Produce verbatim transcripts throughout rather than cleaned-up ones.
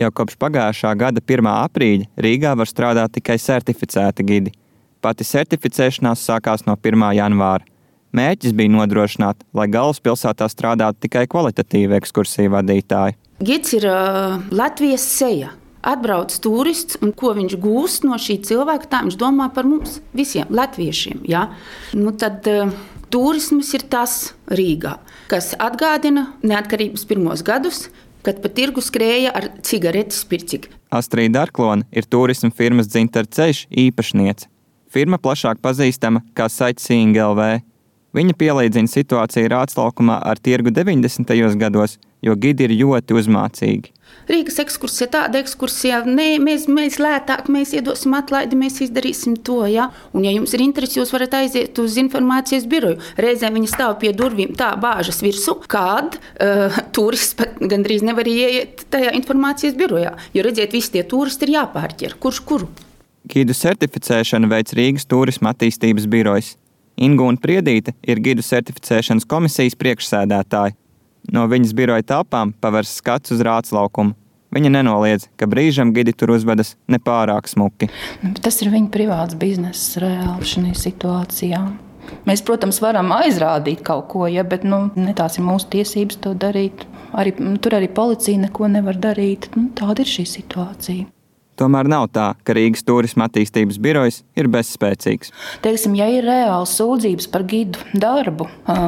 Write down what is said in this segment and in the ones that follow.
Jau kopš pagājušā gada pirmā aprīļa Rīgā var strādāt tikai certificēti gidi. Pati certificēšanās sākās no pirmā janvāra. Mērķis bija nodrošināt, lai galvaspilsētā strādātu tikai kvalitatīvi ekskursiju vadītāji. Gids ir uh, Latvijas seja. Atbrauc turists, un ko viņš gūst no šī cilvēka, tā viņš domā par mums visiem latviešiem. Ja? Nu tad uh, turisms ir tas Rīgā, kas atgādina neatkarības pirmos gadus, kad pa tirgu skrēja ar cigaretes pircik. Astrīda Arklone ir turisma firmas Dzintara ceļš īpašniece. Firma plašāk pazīstama kā Sightseeing L V. Viņa pielīdzina situāciju Rāclaukumā ar tirgu deviņdesmitajos gados, jo gidi ir ļoti uzmācīgi. Rīgas ekskursija, tāda ekskursija, nē, mēs, mēs lētāk, mēs iedosim atlaidi, mēs izdarīsim to, ja? Un ja jums ir interesi, jūs varat aiziet uz informācijas biroju. Reizēm viņi stāv pie durvīm tā bāžas virsu, kad uh, turists pat gandrīz nevar ieiet tajā informācijas birojā. Jo redziet, visi tie turisti ir jāpārķer. Kurš kuru? Gidu certificēšanu veic Rīgas turisma attīstības birojs. Ingūna Priedīte ir gidu certificēšanas komisijas priekšsēdētāja. No viņas biroja telpām pavērs skats uz Rāclaukumu. Viņa nenoliedz, ka brīžam gidi tur uzvedas nepārāk smuki. Tas ir viņa privāts bizness reāli šajā situācijā. Mēs, protams, varam aizrādīt kaut ko, ja, bet nu, ne tās ir mūsu tiesības to darīt. Arī, tur arī policija neko nevar darīt. Nu, tāda ir šī situācija. Tomēr nav tā, ka Rīgas turisma attīstības birojs ir bezspēcīgs. Teiksim, ja ir reāli sūdzības par gidu darbu,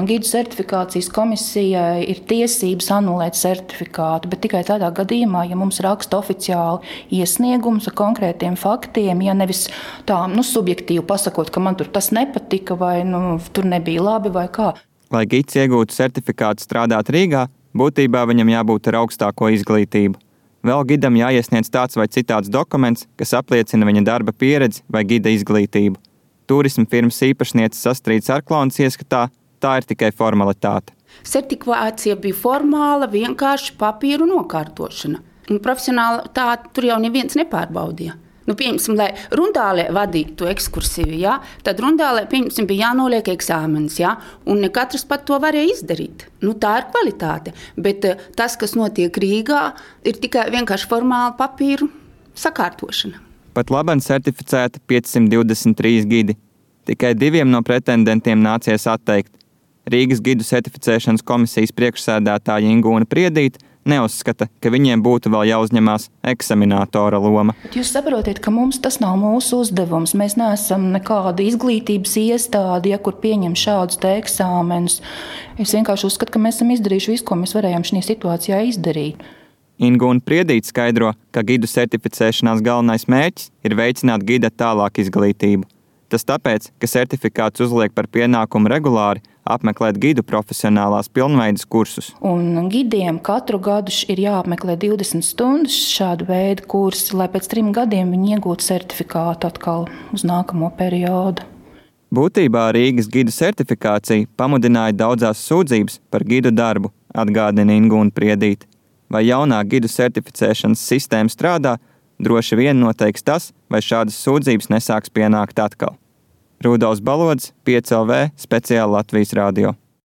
gidu certifikācijas komisijai ir tiesības anulēt certifikātu, bet tikai tādā gadījumā, ja mums raksta oficiāli iesniegums ar konkrētiem faktiem, ja nevis tā nu, subjektīvi pasakot, ka man tur tas nepatika vai nu, tur nebija labi vai kā. Lai gids iegūtu certifikātu strādāt Rīgā, būtībā viņam jābūt ar augstāko izglītību. Vēl gidam jāiesniedz tāds vai citāds dokuments, kas apliecina viņa darba pieredzi vai gida izglītību. Turisma firmas īpašnieces Astrīdas Arklones ieskatā, tā ir tikai formalitāte. Certifikācija bija formāla, vienkārši papīru nokārtošana. Un profesionāli tā tur jau neviens nepārbaudīja. Nu, pieņemsim, lai Rundālē vadītu ekskursiju, ja, tad Rundālē, pieņemsim, bija jānoliek eksāmenis, ja, un ne katrs pat to varēja izdarīt. Nu, tā ir kvalitāte, bet tas, kas notiek Rīgā, ir tikai vienkārši formāla papīru sakārtošana. Pat labam certificēti piecsimt divdesmit trīs gidi. Tikai diviem no pretendentiem nācies atteikt. Rīgas gidu certificēšanas komisijas priekšsēdētāja Ingūna Priedīte neuzskata, ka viņiem būtu vēl jāuzņemās eksaminātora loma. Bet jūs saprotiet, ka mums tas nav mūsu uzdevums. Mēs neesam nekāda izglītības iestāde, ja kur pieņem šādus te eksāmenus. Es vienkārši uzskatu, ka mēs esam izdarījuši visu, ko mēs varējām šajā situācijā izdarīt. Ingūna Priedīte skaidro, ka gidu certificēšanās galvenais mērķis ir veicināt gida tālāk izglītību. Tas tāpēc, ka certifikāts uzliek par pienākumu regulāri apmeklēt gidu profesionālās pilnveides kursus. Un gidiem katru gadu ir jāapmeklē divdesmit stundas šādu veidu kursi, lai pēc trim gadiem viņi iegūtu certifikātu atkal uz nākamo periodu. Būtībā Rīgas gidu certifikācija pamudināja daudzās sūdzības par gidu darbu, atgādina Ingūna Priedīte. Vai jaunā gidu certificēšanas sistēma strādā, droši vien noteiks tas, vai šādas sūdzības nesāks pienākt atkal. Rudolfs Balodis, pieci L V, speciāli Latvijas radio.